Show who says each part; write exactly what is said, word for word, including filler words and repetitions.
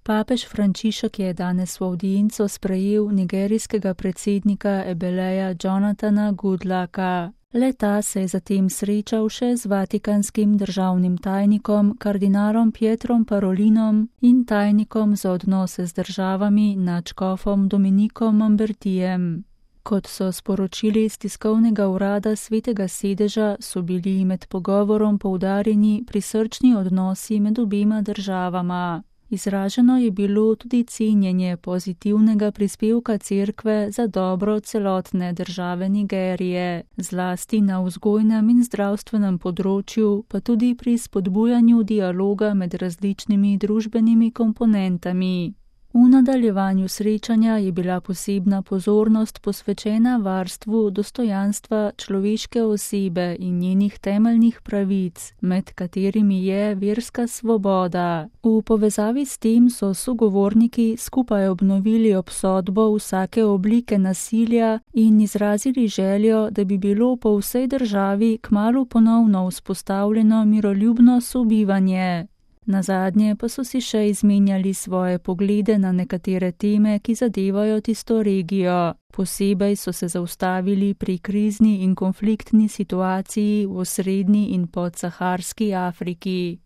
Speaker 1: Papež Frančišek je danes v avdienco sprejel nigerijskega predsednika Ebeleja Jonathana Goodlucka. Le-ta se je zatem srečal še z vatikanskim državnim tajnikom kardinalom Pietrom Parolinom in tajnikom za odnose z državami nadškofom Dominikom Mambertijem. Kot so sporočili iz tiskovnega urada Svetega sedeža, so bili med pogovorom poudarjeni prisrčni odnosi med obema državama. Izraženo je bilo tudi cenjenje pozitivnega prispevka cerkve za dobro celotne države Nigerije, zlasti na vzgojnem in zdravstvenem področju, pa tudi pri spodbujanju dialoga med različnimi družbenimi komponentami. V nadaljevanju srečanja je bila posebna pozornost posvečena varstvu dostojanstva človeške osebe in njenih temeljnih pravic, med katerimi je verska svoboda. V povezavi s tem so sogovorniki skupaj obnovili obsodbo vsake oblike nasilja in izrazili željo, da bi bilo po vsej državi kmalu ponovno vzpostavljeno miroljubno sobivanje. Nazadnje pa so si še izmenjali svoje poglede na nekatere teme, ki zadevajo tisto regijo. Posebej so se zaustavili pri krizni in konfliktni situaciji v osrednji in podsaharski Afriki.